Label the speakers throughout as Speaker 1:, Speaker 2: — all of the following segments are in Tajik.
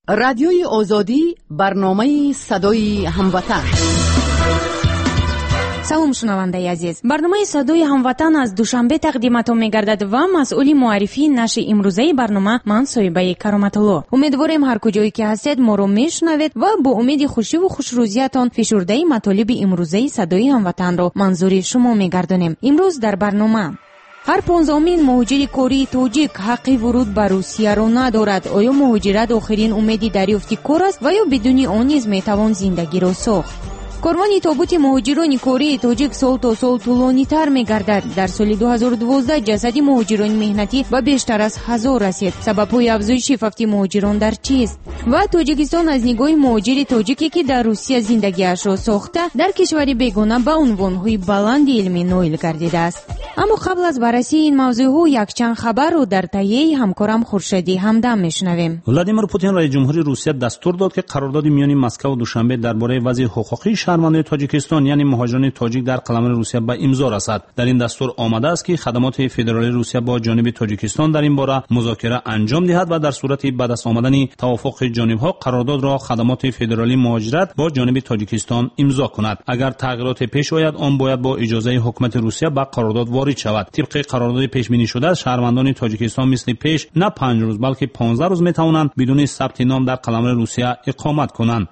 Speaker 1: Радиои Озодӣ, барномаи Садои Ҳамватан.
Speaker 2: Салом, шунавандаи азиз. Барномаи Садои Ҳамватан аз Душанбе тақдиматон мегардад ва масъули муаррифии нашри имрӯзаи барнома ман Соҳибаи Кароматулло. Умедворем, ҳар куҷое ки ҳастед, моро мешунавед ва бо умеди хушиву хушрӯзиятон фишурдаи матолиби имрӯзаи Садои Ҳамватанро манзури шумо мегардонем. Имрӯз дар барнома: ҳар 15-умин муҳоҷири кории тоҷик ҳаққи вуруд ба Русияро надорад. Оё муҳоҷират охирин умеди дарёфти кор аст ва ё бидуни он низ метавон зиндагиро сохт? Корвони тобути муҳоҷирони кории тоҷик сол то сол тӯлонитар мегардад. Дар соли 2012 ҷасади муҳоҷирони меҳнатӣ ба бештар аз 1000 расид. Сабабҳои афзоиши фавти муҳоҷирон дар чист? Ва Тоҷикистон аз нигоҳи муҳоҷири тоҷике, ки дар Русия зиндагиашро сохта, дар кишвари бегона ба унвонҳои баланди илмӣ ноил гардидааст. Аммо қабл аз баррасии ин мавзӯъҳо якчанд хабарро дар таҳияи ҳамкорам Хуршеди Ҳамдам мешунавем.
Speaker 3: Владимир Путин, раиси ҷумҳури Русия, дастур дод, ки қарордоди миёни Москваву Душанбе дар бораи вазъи ҳуқуқии шаҳрвандони Тоҷикистон, яъне муҳоҷирони тоҷик дар қаламрави Русия, ба имзо расад. Дар ин дастур омадааст, ки хадамоти федералии Русия бо ҷониби Тоҷикистон дар ин бора музокира анҷом диҳад ва дар сурати ба даст омадани тавофуқи ҷонибҳо қарордодро хадамоти федералии муҳоҷират бо ҷониби Тоҷикистон имзо кунад. Агар тағйироте пеш ояд, он бояд бо иҷозаи ҳукумати Русия ба қарордод ворид шавад. Тибқи қарордоди пешбинишуда, шаҳрвандони Тоҷикистон мисли пеш на 5 рӯз, балки 15 рӯз метавонанд бидуни сабти ном дар қаламрави Русия иқомат кунанд.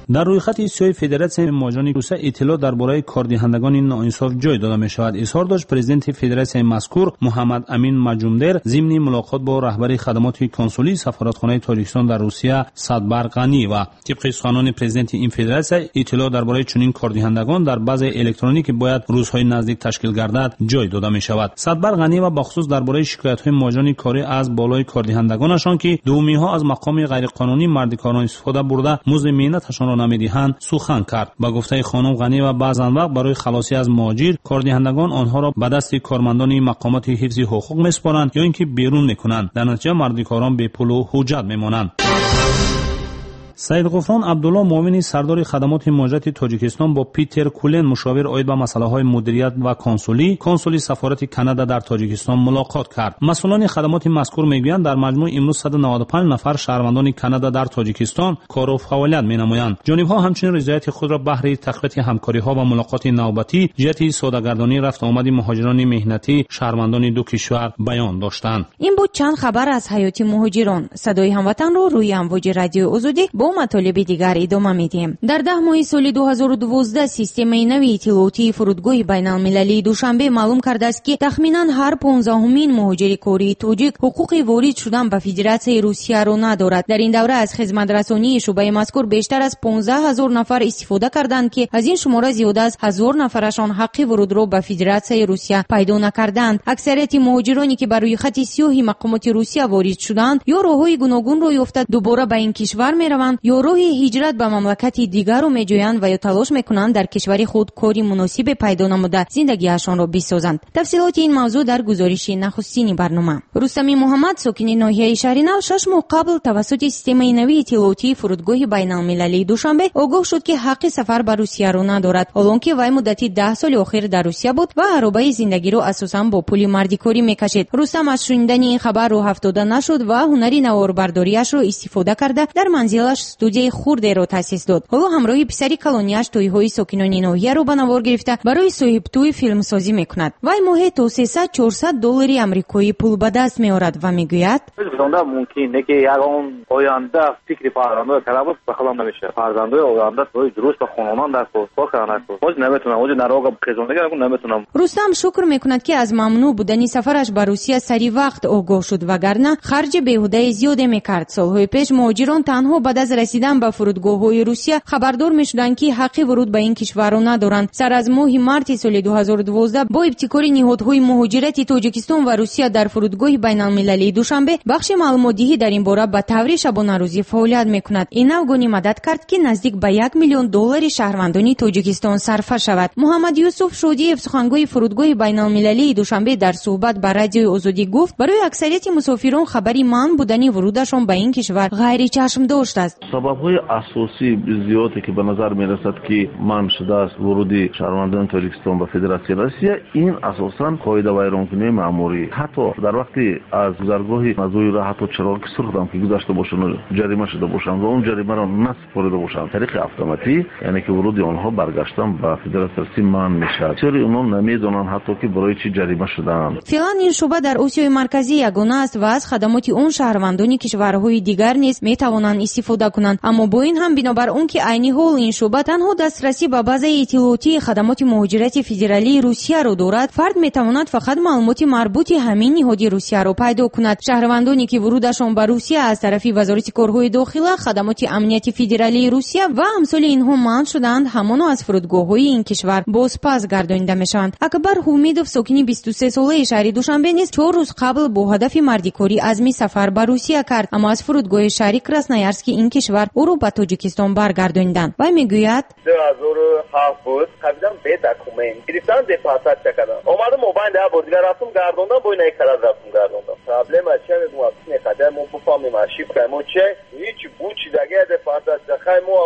Speaker 3: Дар рӯйхати сиёҳи Федератсияи муҳоҷирони Русия иттилоъ дар бораи кордиҳандагони ноинсоф ҷой дода мешавад, изҳор дошт президенти федератсияи мазкур Муҳаммад Амин Маҷумдер зимни мулоқот бо раҳбари хадамоти консулии сафоратхонаи Тоҷикистон дар Русия Садбар Ғаниева. Тибқи суханони президенти ин федератсия, иттилоъ дар бораи чунин кордиҳандагон дар базаи электронӣ, ки бояд рӯзҳои наздик ташкил гардад, ҷой дода мешавад. Садбар Ғаниева бахусус дар бораи шикоятҳои муҳоҷирони корӣ аз болои кордиҳандагонашон, ки дуввумиҳо аз мақоми ғайриқонунии мардикорон истифода бурда, музди меҳнаташонро намедиҳанд, сухан кард. Ба гуфтаи хонум Ғаниева, баъзан вақт барои халосӣ аз муҳоҷир кордиҳандагон онҳоро ба дасти кормандони мақомоти ҳифзи ҳуқуқ месупоранд ё ин ки берун мекунанд. Дар натиҷа мардикорон бепулу ҳуҷҷат мемонанд. Саидғуфрон Абдулло, муовини сардори хадамоти муҳоҷирати Тоҷикистон, бо Питер Кулен, мушовир оид ба масъалаҳои мудирият ва консулӣ, консули сафорати Канада дар Тоҷикистон, мулоқот кард. Масъулони хадамоти мазкур мегӯянд, дар маҷмӯъ имрӯз 195 нафар шаҳрвандони Канада дар Тоҷикистон кору фаъолият менамоянд. Ҷонибҳо ҳамчунин ризояти худро баҳри тақвияти ҳамкориҳо ва мулоқоти навбатӣ ҷиҳати содагардонии рафтуомади муҳоҷирони меҳнатӣ, шаҳрвандони ду кишвар, баён доштанд.
Speaker 2: Ин буд чанд хабар аз ҳаёти муҳоҷирон. Садои Ҳамватанро рӯи амвоҷи Радиои Озодӣ бо матолиби дигар идома медиҳем. Дар 10 моҳи соли 2012 системаи нави иттилоотии фурудгоҳи байналмилалии Душанбе маълум кардааст, ки тахминан ҳар 15-умин муҳоҷири кории тоҷик ҳуқуқи ворид шудан ба Федератсияи Русияро надорад. Дар ин давра аз хизматрасонии шӯъбаи мазкур бештар аз 15 000 нафар истифода карданд, ки аз ин шумора зиёда аз 1000 нафарашон ҳаққи вурудро ба Федератсияи Русия пайдо накарданд. Аксарияти муҳоҷироне, ки ба рӯйхати сиёҳи мақомоти Русия ворид шудаанд, ё роҳҳои гуногунро ёфта дубора ба ин кишвар мераванд, ё роҳи ҳиҷрат ба мамлакати дигарро меҷӯянд ва ё талош мекунанд дар кишвари худ кори муносибе пайдо намуда, зиндагиашонро бисозанд. Тафсилоти ин мавзӯъ дар гузориши нахустини барнома. Рустами Муҳаммад, сокини ноҳияи Шаҳринав, 6 моҳ қабл тавассути системаи нави иттилоотии фурудгоҳи байналмилалии Душанбе огоҳ шуд, ки ҳаққи сафар ба Русияро надорад, ҳолон ки вай муддати 10 соли охир дар Русия буд ва аробаи зиндагиро асосан бо пули мардикорӣ мекашид. Рустам аз шунидани ин хабар рӯҳафтода нашуд ва ҳунари наворбардориашро истифода карда, дар манзилаш студияи хурдеро таъсис дод. Ҳоло ҳамроҳи писари калонияш тӯйҳои сокинони ноҳияро ба навор гирифта, барои соҳибтӯй филмсозӣ мекунад. Вай моҳе то 300-400 доллари амрикоӣ пул ба даст меорад ва мегӯяд:
Speaker 4: Мумкин не, ки ягон оянда фикри фарзандои карда бош, ба худам намешавад. Фарзандои оянда дуруст ба хононан дар кор кардан. Ҳозир наметунам, ҳозир нарога хезондагӣ наметунам.
Speaker 2: Рустам шукр мекунад, ки аз мамнӯъ будани сафараш ба Русия сари вақт огоҳ шуд, вагарна харҷи беҳудаи зиёде мекард. Солҳои пеш муҳоҷирон танҳо баъд аз расидан ба фурудгоҳҳои Русия хабардор мешуданд, ки ҳаққи вуруд ба ин кишварро надоранд. Сар аз моҳи марти соли 2012 бо ибтикори ниҳодҳои муҳоҷирати Тоҷикистон ва Русия дар фурудгоҳи байналмилалии Душанбе бахши маълумотдиҳӣ дар ин бора ба таври шабонарӯзӣ фаъолият мекунад. Ин навгонӣ мадад кард, ки наздик ба 1 миллион доллари шаҳрвандони Тоҷикистон сарфа шавад. Муҳаммад Юсуф Шодиев, сухангӯи фурудгоҳи байналмилалии Душанбе, дар суҳбат ба Радиои Озодӣ гуфт, барои аксарияти мусофирон хабари манъ будани вурудашон ба ин кишвар ғайричашмдошт аст.
Speaker 5: Сабабҳои асосии зиёде ки ба назар мерасад ки манъ шудааст вуруди шаҳрвандони Тоҷикистон ба Федератсияи Россия, ин асосан қоидавайронкунии маъмурӣ. Ҳатто дар вақти аз гузаргоҳи мазуира ҳатто чароғи сурхам ки гузашта бошанд, ҷарима шуда бошанд ва он ҷаримаро насупорида бошанд, тариқи автоматӣ, яъне ки вуруди онҳо баргаштан ба Федератсияи Россия манъ мешавад. Бисёри онҳо намедонанд ҳатто ки барои чӣ ҷарима шудаанд.
Speaker 2: Феълан ин шӯъба дар Осиёи Марказӣ ягона аст ва аз хадамоти он шаҳрвандони кишварҳои дигар низ метавонанд истифода кунанд. Аммо бо ин ҳам бинобар он ки айни ҳол ин шӯъба танҳо дастрасӣ ба базаи иттилоотии хадамоти муҳоҷирати федералии Русияро дорад, фард метавонад фақат маълумоти марбути ҳамин ниҳоди Русияро пайдо кунад. Шаҳрвандоне ки вурудашон ба Русия аз тарафи Вазорати корҳои дохила, хадамоти амнияти федералии Русия ва амсоли инҳо манъ шудаанд, ҳамоно аз фурудгоҳҳои ин кишвар бозпас гардонида мешаванд. Акбар Ҳумидов, сокини 23-солаи шаҳри Душанбе низ 4 рӯз қабл бо ҳадафи мардикорӣ азми сафар ба Русия кард, аммо аз фурудгоҳи шаҳри Красноярски ин кишвар ӯро ба Тоҷикистон баргардониданд. Вай мегӯяд:
Speaker 6: 2007 буд, қабилам бе документ гирифтан, депортатсия кардам. Омадам мобайн да бор дигар рафтам гардондам, бо ина карад рафтам гардондам. Проблема чия мегӯям, не қадар мо бифаҳмем ошибка мо чия, ҳеҷ буд чизаге депортатсия. Хай мо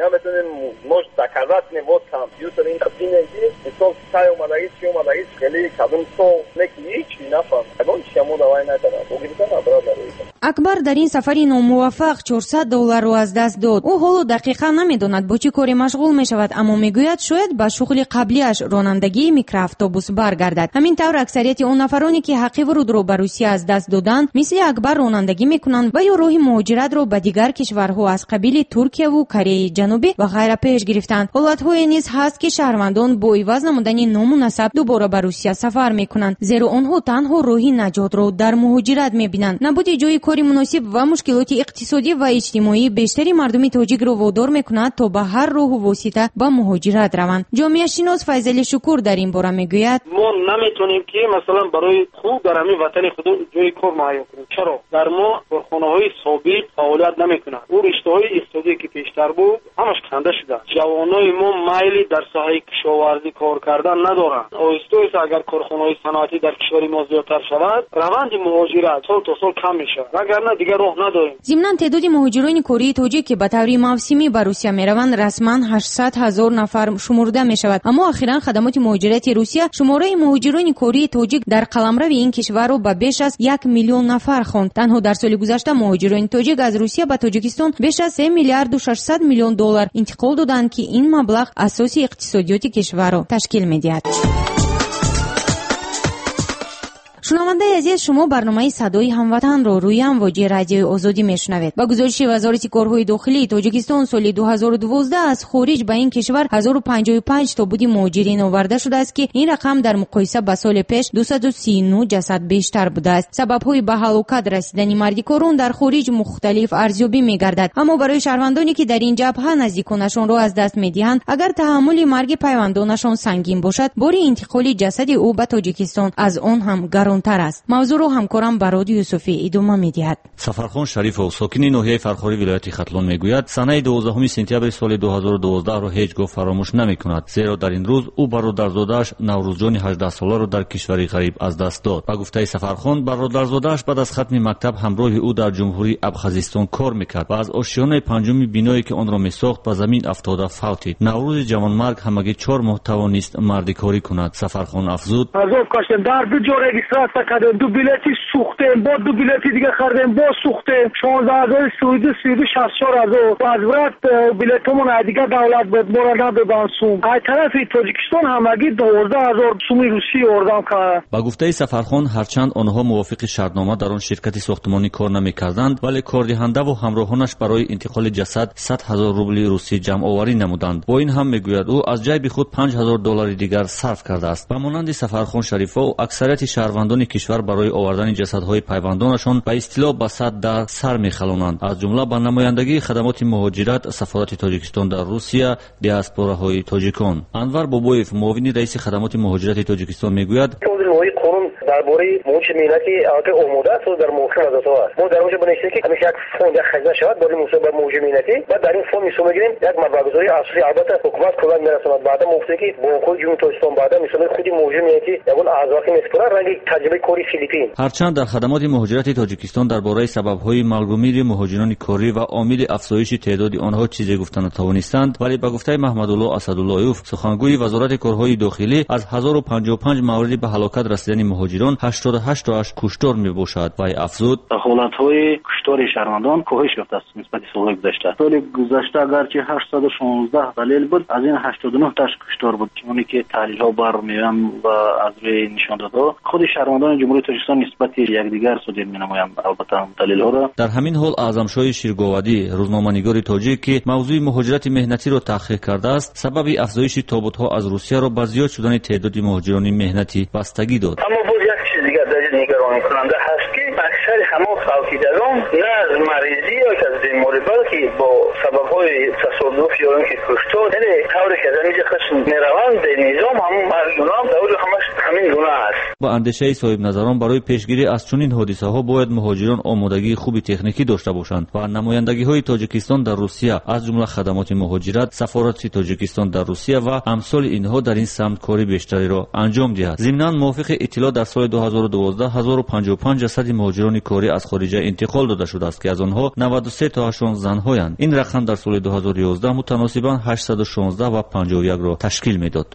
Speaker 6: наметонем, может доказать кунем, вот компютер ин бинем ки мисол кай омадагӣ, чи омадагӣ, хеле кадом сол, не ки ҳеҷ нафаҳмем. Ягон чия мо давай накардам. Бо гирифтан обратно рӯйдам.
Speaker 2: Акбар дар ин сафари номуваффақ $400 аз даст дод. Ӯ ҳоло дақиқан намедонад бо чӣ коре машғул мешавад, аммо мегӯяд шояд ба шуғли қаблиаш ронандагии микроавтобус баргардад. Ҳамин тавр аксарияти он нафароне ки ҳаққи вурудро ба Русия аз даст доданд, мисли Акбар ронандагӣ мекунанд ва ё роҳи муҳоҷиратро ба дигар кишварҳо аз қабили Туркияву Кореяи Ҷанубӣ ва ғайра пеш гирифтанд. Ҳолатҳое низ ҳаст ки шаҳрвандон бо иваз намудани ному насаб дубора ба Русия сафар мекунанд, зеро онҳо танҳо роҳи наҷотро дар муҳоҷират мебинанд. Набуди ҷои кори муносиб ва мушкилоти иқтисодӣ ва иҷтимоӣ бештари мардуми тоҷикро водор мекунад то ба ҳар роҳу восита ба муҳоҷират раванд. Ҷомеашинос Файзали Шукур дар ин бора мегӯяд:
Speaker 7: мо наметонем ки масалан барои худ дар ҳамин ватани худ ҷои кор муҳайё кунем. Чаро? Дар мо корхонаҳои собиқ фаъолият намекунанд. Ӯ риштаҳои иқтисодие ки пештар буд ҳамаш канда шудааст. Ҷавонони мо майли дар соҳаи кишоварзӣ кор кардан надоранд. Оҳиста оҳиста агар корхонаҳои саноатӣ дар кишвари мо зиёдтар шавад, раванди муҳоҷират сол то сол кам мешавад, вагарна дигар роҳ надорем.
Speaker 2: Зимнан теъдоди муҳоҷирони кории тоҷик ки ба таври мавсимӣ ба Русия мераванд расман 800 000 нафар шумурда мешавад. Аммо охиран хадамоти муҳоҷирати Русия шумораи муҳоҷирони кории тоҷик дар қаламрави ин кишварро ба беш аз 1 миллион нафар хонд. Танҳо дар соли гузашта муҳоҷирони тоҷик аз Русия ба Тоҷикистон беш аз 3 миллиарду 600 миллион доллар интиқол доданд, ки ин маблағ асоси иқтисодиёти кишварро ташкил медиҳад. Шунавандаи азиз, шумо барномаи Садои ҳамватанро рӯи амвоҷи Радиои Озодӣ мешунавед. Ба гузориши Вазорати корҳои дохилии Тоҷикистон соли 2012 аз хориҷ ба ин кишвар 1055 тобуди муҳоҷирин оварда шудааст, ки ин рақам дар муқоиса ба соли пеш 239 ҷасад бештар будааст. Сабабҳои ба ҳалокат расидани мардикорон дар хориҷ мухталиф арзёбӣ мегардад, аммо барои шаҳрвандоне ки дар ин ҷабҳа наздиконашонро аз даст медиҳанд, агар таҳаммули марги пайвандонашон сангин бошад, бори интиқоли ҷасади ӯ ба Тоҷикистон аз он ҳам гарон тар аст. Мавзӯъро ҳамкорам Барод Юсуфӣ идома медиҳад.
Speaker 8: Сафархон Шарифов, сокини ноҳияи Фархори вилояти Хатлон, мегӯяд санаи 12 сентябри соли 2012-ро ҳеҷ гоҳ фаромӯш намекунад, зеро дар ин рӯз ӯ бародарзодааш Наврӯзҷони 18-соларо дар кишвари ғариб аз даст дод. Ба гуфтаи Сафархон, бародарзодааш баъд аз хатми мактаб ҳамроҳи ӯ дар ҷумҳурии Абхазистон кор мекард ва аз ошиёнаи панҷуми биное ки онро месохт ба замин афтода фавтид. Наврӯзи ҷавонмарг ҳамагӣ 4 моҳ тавонист мардикорӣ кунад. Сафархон афзуд:
Speaker 7: азоб кашидем, дар ду ҷо регистратсия кардем, 2 билети сӯхтем, бо 2 билети дига хардем, боз сӯхтем. 16 032 64 000 возврат билетомон аз дигар давлат буд, моро надоданд сум. Аз тарафи Тоҷикистон ҳамагӣ 12 000 суми русӣ ёрдам кард.
Speaker 8: Ба гуфтаи Сафархон, ҳарчанд онҳо мувофиқи шартнома дар он ширкати сохтмонӣ кор намекарданд, вале кордиҳандаву ҳамроҳонаш барои интиқоли ҷасад 100 000 рубли русӣ ҷамъоварӣ намуданд. Бо ин ҳам, мегӯяд ӯ, аз ҷайби худ 5 000 доллари дигар сарф кардааст. Ба монанди Сафархон Шарифов, аксарияти шаҳрвандони кишвар барои овардани ҷасадҳои пайвандонашон ба истилоҳ ба сад дар сар мехалонанд, аз ҷумла ба намояндагии хадамоти муҳоҷират, сафорати Тоҷикистон дар Русия, диаспораҳои тоҷикон. Анвар Бобоев, муовини раиси хадамоти муҳоҷирати Тоҷикистон, мегӯяд:
Speaker 9: Лоиҳаи қонун Дар бораи муҳоҷири меҳнатӣ аллакай омода аст, дар мувофиқи вазоратҳо аст. Мо дар онҷо бинависем, ки ҳамеша як фонд, як хазина шавад барои мусоидат ба муҳоҷири меҳнатӣ. Баъд дар ин фонд мисол мегирем як маблағгузории асосӣ, албатта ҳукумат кӯмак мерасонад. Баъдан мо гуфтем, ки бонкҳои Ҷумҳурии Тоҷикистон, баъдан мисол худи муҳоҷири меҳнатӣ ягон аъзоқӣ месупорад, ранги таҷрибаи кори Филиппин.
Speaker 8: Ҳарчанд дар хадамоти муҳоҷирати Тоҷикистон дар бораи сабабҳои маргумири муҳоҷирони корӣ ва омили афзоиши теъдоди онҳо чизе гуфта натавонистанд, вале ба гуфтаи Маҳмадулло Асадуллоев, сухангӯи Вазорати корҳои дохилӣ, аз 1055 мавриди ба ҳалокат расидани муҳоҷирон 88 тоаш куштор мебошад. Вай афзуд:
Speaker 10: ҳолатҳои куштори шаҳрвандон коҳиш ёфтааст нисбати солҳои гузашта. Соли гузашта агарчи 816 далел буд, аз ин 89 тоаш куштор буд. Чуноне ки таҳлилҳо бармеоянд ва аз рӯи нишондодҳо худи шаҳрвандони Ҷумҳурии Тоҷикистон нисбати якдигар содир менамоянд албатта далелҳоро.
Speaker 8: Дар ҳамин ҳол Аъзамшоҳи Ширговадӣ, рӯзноманигори тоҷик, ки мавзӯи муҳоҷирати меҳнатиро таҳқиқ кардааст, сабаби афзоиши тобутҳо аз Русияро ба зиёд шудани теъдоди муҳоҷирони меҳнатӣ бастагӣ дод.
Speaker 11: Аммо боз як чиз дигар дар ин нигаронкунанда ҳаст, ки аксари ҳамон фавтидагон на аз маризӣ ё аз беморӣ, балки бо сабабҳои тасодуф ё ин ки куштор, яъне тавре ки аз ҳаминҷо худш мераванд бенизом, ҳамон марги онҳо дар оҷо ҳамаш ҳамин гуна аст.
Speaker 8: Ба андешаи соҳибназарон, барои пешгирӣ аз чунин ҳодисаҳо бояд муҳоҷирон омодагии хуби техникӣ дошта бошанд ва намояндагиҳои Тоҷикистон дар Русия, аз ҷумла хадамоти муҳоҷират, сафорати Тоҷикистон дар Русия ва амсоли инҳо дар ин самт кори бештареро анҷом диҳад. Зимнан, мувофиқи иттилоъ, дар соли 2012 1055 ҷасади муҳоҷирони корӣ аз хориҷа интиқол дода шудааст, ки аз онҳо 93 тоашон занҳоянд. Ин рақам дар соли 2011 мутаносибан 816 ва 51-ро ташкил медод.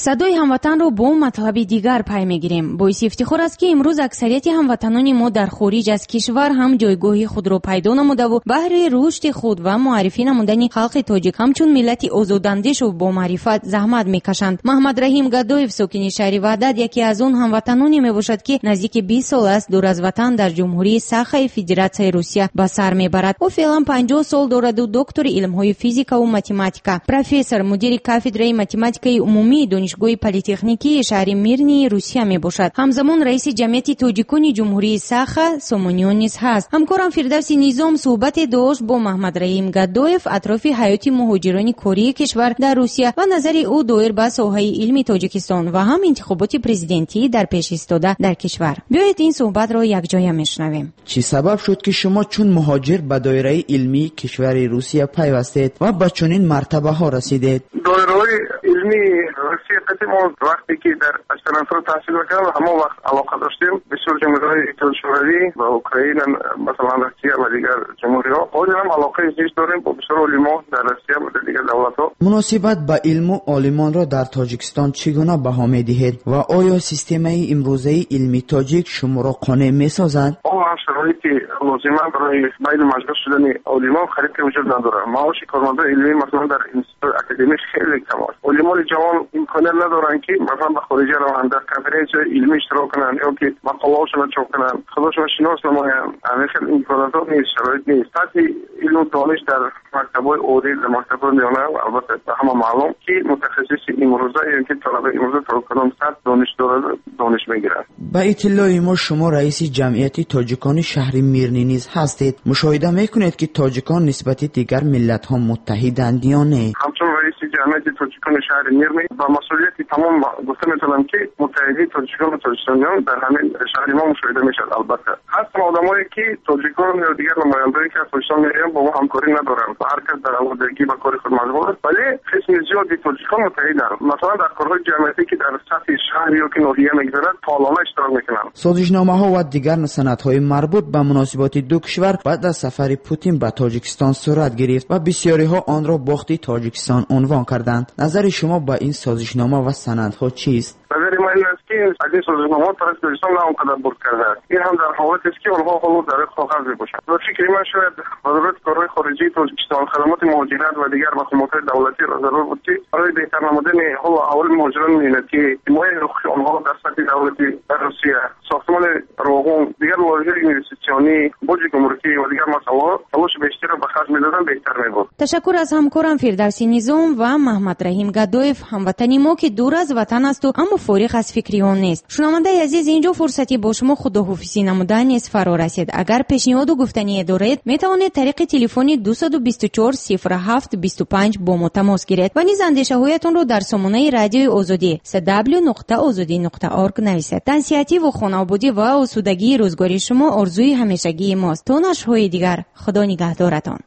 Speaker 2: Садои ҳамватанро бо матлаби дигар пай мегирем. Боиси ифтихор аст, ки имрӯз аксарияти ҳамватанони мо дар хориҷ аз кишвар ҳам ҷойгоҳи худро пайдо намудаву баҳри рушди худ ва муаррифӣ намудани халқи тоҷик ҳамчун миллати озодандешу бомаърифат заҳмат мекашанд. Маҳмадраҳим Гадоев, сокини шаҳри Ваҳдат, яке аз он ҳамватаноне мебошад, ки наздики 20 сол аст дур аз ватан дар Ҷумҳурии Сахаи Федератсияи Русия ба сар мебарад. Ӯ феълан 50 сол дораду доктори илмҳои физикаву математика, профессор, мудири кафедраи математикаи умумии Донишгоҳи политехникии шаҳри Мирнии Русия мебошад. Ҳамзамон раиси ҷамъияти тоҷикони Ҷумҳурии Саха Сомониён низ ҳаст. Ҳамкорам Фирдавси Низом суҳбате дошт бо Маҳмадраҳим Гадоев атрофи ҳаёти муҳоҷирони кории кишвар дар Русия ва назари ӯ доир ба соҳаи илми Тоҷикистон ва ҳам интихоботи президентӣ дар пеш истода дар кишвар. Биёед ин суҳбатро якҷоя мешунавем.
Speaker 12: Чӣ сабаб шуд, ки шумо чун муҳоҷир ба доираи илмии кишвари Русия пайвастед ва ба чунин мартабаҳо расидед?
Speaker 13: Доираҳои илмии Русия қати мо вақте ки дар аспирантура таҳсил мекардам, ҳамон вақт алоқа доштем. Бисёр ҷумҳуриҳои Иттиҳоди Шӯравӣ ва Украина, масалан Россия ва дигар ҷумҳуриҳо. Ҳозир ҳам алоқаи зич дорем бо бисёр олимо дар Россия ва дар дигар давлатҳо.
Speaker 12: Муносибат ба илму олимонро дар Тоҷикистон чӣ гуна баҳо медиҳед ва оё системаи имрӯзаи илми тоҷик шуморо қонеъ месозад?
Speaker 13: Он ҳам шароити лозима барои байни маҷлис шудани олимон қариб ки вуҷуд надорад. Маоши кормандони илмӣ масалан дар институти академӣ хеле кам аст. Олимони ҷавон имконият надоранд, ки масалан ба хориҷа раванд, дар конференсияҳои илмӣ иштирок кунанд ё ки мақолаҳошонро чоп кунанд, худошонро шинос намоянд. Ҳамин хел имконотҳо нест, шароит нест. Сатҳи илму дониш дар мактабҳои олӣ, дар мактабҳои миёна албатта ба ҳама маълум, ки мутахассиси имрӯза ё ки талабаи имрӯза то кадом сатҳ дониш дорад, дониш мегирад.
Speaker 12: Ба иттилои мо шумо раиси ҷамъияти тоҷикони шаҳри Мирнӣ низ ҳастед. Мушоҳида мекунед, ки тоҷикон нисбати дигар миллатҳо муттаҳиданд ё не?
Speaker 13: Ҳамчун раиси ҷамъияти тоҷикони шаҳри Мирнӣ ба масъулияти тамом гуфта метавонам, ки муттаҳидии тоҷикон ва тоҷикистониён дар ҳамин шаҳри мо мушоҳида мешавад. Албатта ҳастанд одамое, ки тоҷикон ё дигар намояндое, ки аз Тоҷикистон меоянд, бо мо ҳамкорӣ надоранд ва ҳар кас дар алоҳидагӣ ба кори худ машғул аст, вале қисми зиёди тоҷикон муттаҳиданд. Масалан дар корҳои ҷамъиятӣ, ки дар сатҳи шаҳр ё ки ноҳия мегузарад, фаъолона иштирок мекунанд.
Speaker 12: Созишномаҳо ва дигар санадҳои марбут ба муносиботи ду кишвар баъд аз сафари Путин ба Тоҷикистон сурат гирифт ва бисёриҳо онро бохти Тоҷикистон унвон карданд. Назари шумо ба ин созишнома ва санадҳо чист?
Speaker 13: Назари ман ин аст, ки аз ин созишномаҳо тарафи Тоҷикистон на он қадар бурд кардааст. Ин ҳам дар ҳолатест, ки онҳо ҳоло дар коғаз мебошанд. Ба фикри ман шояд Вазорати корҳои хориҷии Тоҷикистон, хадамоти муҳоҷират ва дигар мақомотҳои давлатиро зарур буд, ки барои беҳтар намудани ҳолу аҳволи муҳоҷирони меҳнатӣ, ҳимояи ҳуқуқи онҳо дар сатҳи давлатӣ дар Русия, сохтмони роғун, дигар лоиҳаҳои инвеститсионӣ, боҷи гумрукӣ ва дигар масъалаҳо талоши бештарро ба харҷ медоданд, беҳтар мебуд.
Speaker 2: Ташаккур аз ҳамкорам Фирдавси Низом ва Маҳмадраҳим Гадоев, ҳамватани мо, ки дур аз ватан асту аммо фориғ аз фикри он нест. Шунавандаи азиз, инҷо фурсати бо шумо худоҳофизӣ намудан низ фаро расид. Агар пешниҳоду гуфтание доред, метавонед тариқи телефони 224 07 25 бо мо тамос гиред ва низ андешаҳоятонро дар сомонаи Радиои Озодӣ cw.ozodi.org нависед. Тансиҳативу хонаободӣ ва осудагии рӯзгори шумо орзуи ҳамешагии мост. То нашрҳои дигар, Худо нигаҳдоратон.